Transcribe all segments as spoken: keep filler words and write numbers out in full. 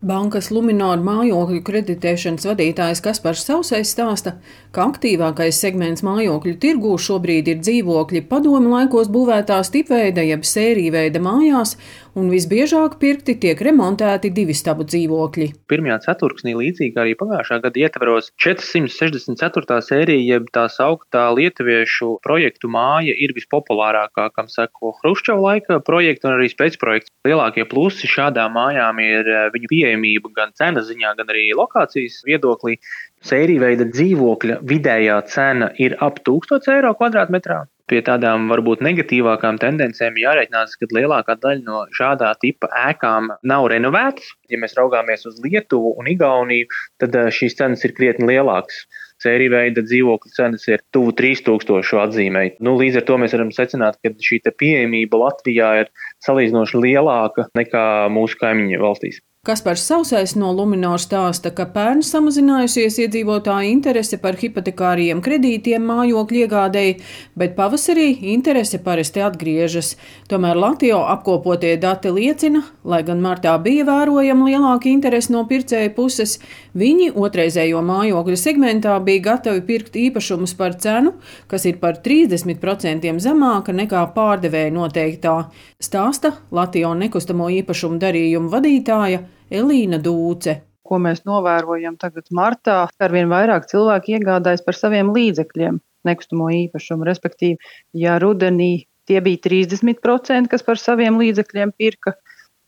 Bankas Luminor mājokļu kreditēšanas vadītājs Kaspars Sausais stāsta, ka aktīvākais segments mājokļu tirgū šobrīd ir dzīvokļi padomju laikos būvētās tipveida jeb sērijveida mājās, un visbiežāk pirkti tiek remontēti divistabu dzīvokļi. Pirmajā ceturksnī, līdzīgi arī pagājušā gada ietvaros, četrsimt sešdesmit ceturtā sērija, jeb tā sauktā lietuviešu projektu māja, ir vispopulārākā, kam seko Hruščova laika projekti un arī spēcprojekti. Lielākie plusi šādām mājām ir viņu pieejamība gan cenas ziņā, gan arī lokācijas viedoklī. Sērijveida dzīvokļa vidējā cena ir ap tūkstots eiro kvadrātmetrā. Pie tādām varbūt negatīvākām tendencēm jārēķinās, ka lielākā daļa no šādā tipa ēkām nav renovētas. Ja mēs raugāmies uz Lietuvu un Igauniju, tad šīs cenas ir krietni lielākas. Sērijveida dzīvokļu cenas ir tuvu trīs tūkstošu atzīmei. Nu, līdz ar to mēs varam secināt, ka šī pieejamība Latvijā ir salīdzinoši lielāka nekā mūsu kaimiņu valstīs. Kaspars Sausais no Luminor stāsta, ka pērn samazinājusies iedzīvotāju interese par hipotekāriem kredītiem mājokļu iegādēji, bet pavasarī interese parasti atgriežas. Tomēr Latio apkopotie dati liecina, lai gan martā bija vērojama lielāka interese no pircēju puses, viņi otrreizējo mājokļu segmentā bija gatavi pirkt īpašumus par cenu, kas ir par trīsdesmit procentiem zemāka nekā pārdevēja noteiktā, stāsta Latio nekustamo īpašumu darījumu vadītāja Elīna Dūce. Ko mēs novērojam tagad martā, arvien vairāk cilvēki iegādājas par saviem līdzekļiem nekustamo īpašumu, respektīvi, ja rudenī tie bija trīsdesmit procenti, kas par saviem līdzekļiem pirka,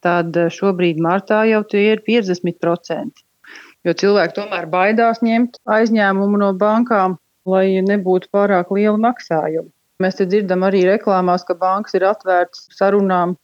tad šobrīd martā jau tie ir piecdesmit procenti. Jo cilvēki tomēr baidās ņemt aizņēmumu no bankām, lai nebūtu pārāk liela maksājuma. Mēs te dzirdam arī reklāmās, ka bankas ir atvērtas sarunām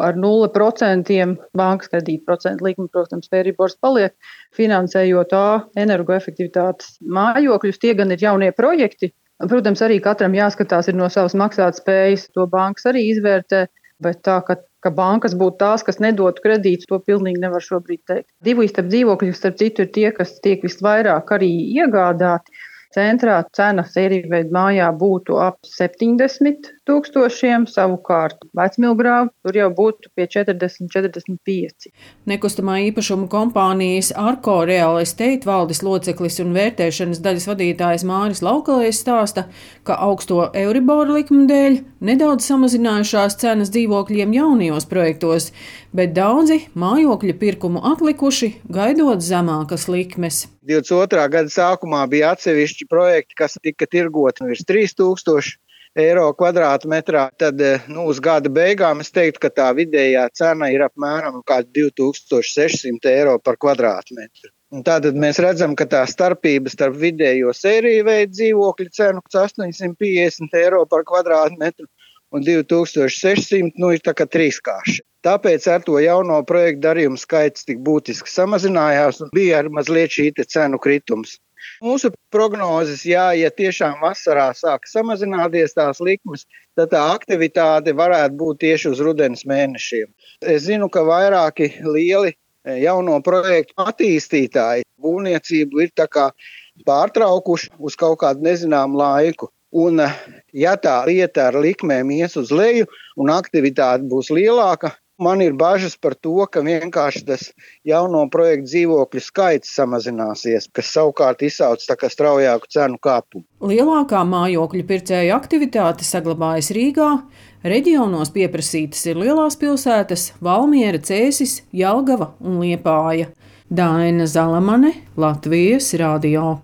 ar nulle procentiem bankas kredīta procentu likmi, protams, Euribors paliek, finansējot A energoefektivitātes mājokļus. Tie gan ir jaunie projekti. Protams, arī katram jāskatās ir no savas maksātspējas, to bankas arī izvērtē, bet tā, ka, ka bankas būtu tās, kas nedotu kredītus, to pilnīgi nevar šobrīd teikt. Divistabu dzīvokļi, starp citu, ir tie, kas tiek visvairāk arī iegādāti. Centrā cena sērijveida mājā būtu ap septiņdesmit tūkstošiem, savukārt Vecmilgrāva tur jau būtu pie četrdesmit, četrdesmit pieci. Nekustamā īpašuma kompānijas Arko Real Estate valdes loceklis un vērtēšanas daļas vadītājs Māris Laukalējs stāsta, ka augsto Euriboru likmu dēļ nedaudz samazinājušās cenas dzīvokļiem jaunajos projektos, bet daudzi mājokļu pirkumu atlikuši, gaidot zemākas likmes. divdesmit otrā gada sākumā bija atsevišķi projekti, kas tika tirgoti virs trīs tūkstoši eiro kvadrātmetrā. Tad nu, uz gada beigām es teiktu, ka tā vidējā cena ir apmēram divi tūkstoši sešsimt eiro par kvadrātmetru. Un tātad mēs redzam, ka tā starpība starp vidējo sērijveida dzīvokļu cenu astoņsimt piecdesmit eiro par kvadrātmetru un divi tūkstoši sešsimt nu, ir tā kā trīskārša. Tāpēc ar to jauno projektu darījumu skaits tik būtiski samazinājās un bija ar mazliet šī cenu kritums. Mūsu prognozes, jā, ja tiešām vasarā sāk samazināties tās likmes, tad tā aktivitāte varētu būt tieši uz rudens mēnešiem. Es zinu, ka vairāki lieli jauno projektu attīstītāji būvniecību ir tā kā pārtraukuši uz kaut kādu nezināmu laiku. Un ja tā lieta ar likmēm ies uz leju un aktivitāte būs lielāka, man ir bažas par to, ka vienkārši tas jauno projektu dzīvokļu skaits samazināsies, kas savukārt izsauc tā kā straujāku cenu kāpumu. Lielākā mājokļu pircēju aktivitāte saglabājas Rīgā, reģionos pieprasītas ir lielās pilsētas Valmiera, Cēsis, Jelgava un Liepāja. Daina Zalamane, Latvijas radio.